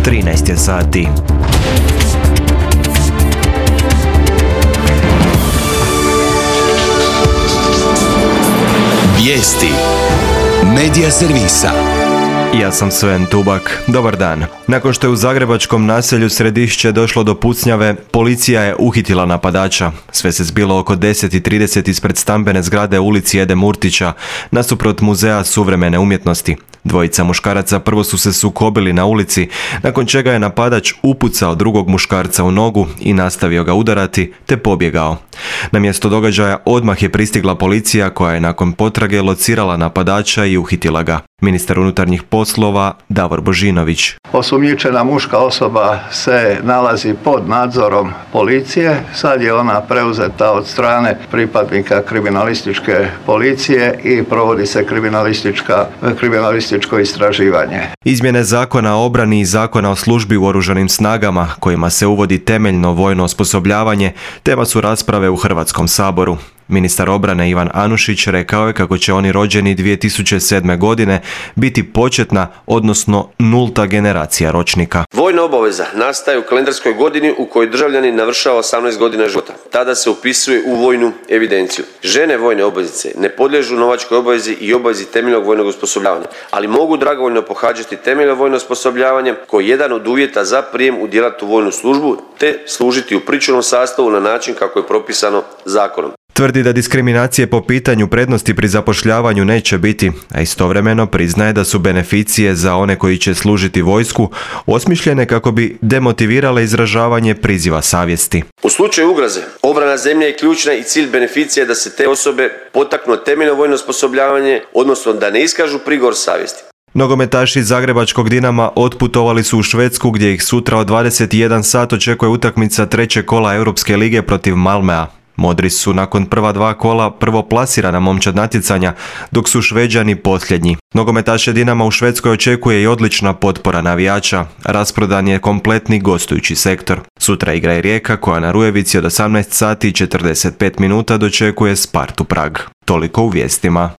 13 je sati. Vijesti Medija servisa. Ja sam Sven Tubak. Dobar dan. Nakon što je u zagrebačkom naselju Središće došlo do pucnjave, policija je uhitila napadača. Sve se zbilo oko 10:30 ispred stambene zgrade ulici Ede Murtića, nasuprot Muzeja suvremene umjetnosti. Dvojica muškaraca prvo su se sukobili na ulici, nakon čega je napadač upucao drugog muškarca u nogu i nastavio ga udarati, te pobjegao. Na mjesto događaja odmah je pristigla policija koja je nakon potrage locirala napadača i uhitila ga. Ministar unutarnjih poslova Davor Božinović. Osumnjičena muška osoba se nalazi pod nadzorom policije. Sad je ona preuzeta od strane pripadnika kriminalističke policije i provodi se kriminalističko istraživanje. Izmjene Zakona o obrani i Zakona o službi u oružanim snagama, kojima se uvodi temeljno vojno osposobljavanje, tema su rasprave u Hrvatskom saboru. Ministar obrane Ivan Anušić rekao je kako će oni rođeni 2007. godine biti početna, odnosno nulta generacija ročnika. Vojna obaveza nastaje u kalendarskoj godini u kojoj državljanin navršava 18 godina života. Tada se upisuje u vojnu evidenciju. Žene vojne obveznice ne podliježu novačkoj obavezi i obavezi temeljnog vojnog osposobljavanja, ali mogu dragovoljno pohađati temeljno vojno osposobljavanje koji je jedan od uvjeta za prijem u djelatnu vojnu službu te služiti u pričuvnom sastavu na način kako je propisano zakonom. Tvrdi da diskriminacije po pitanju prednosti pri zapošljavanju neće biti, a istovremeno priznaje da su beneficije za one koji će služiti vojsku osmišljene kako bi demotivirale izražavanje priziva savjesti. U slučaju ugroze, obrana zemlje je ključna i cilj beneficije da se te osobe potaknu temeljno vojno osposobljavanje, odnosno da ne iskažu prigovor savjesti. Nogometaši Zagrebačkog Dinama otputovali su u Švedsku gdje ih sutra od 21 sat očekuje utakmica trećeg kola Europske lige protiv Malmöa. Modri su nakon prva dva kola prvoplasirana momčad natjecanja, dok su Šveđani posljednji. Nogometaše Dinama u Švedskoj očekuje i odlična potpora navijača. Rasprodan je kompletni gostujući sektor. Sutra igra i Rijeka koja na Rujevici od 18 sati i 45 minuta dočekuje Spartu Prag. Toliko u vijestima.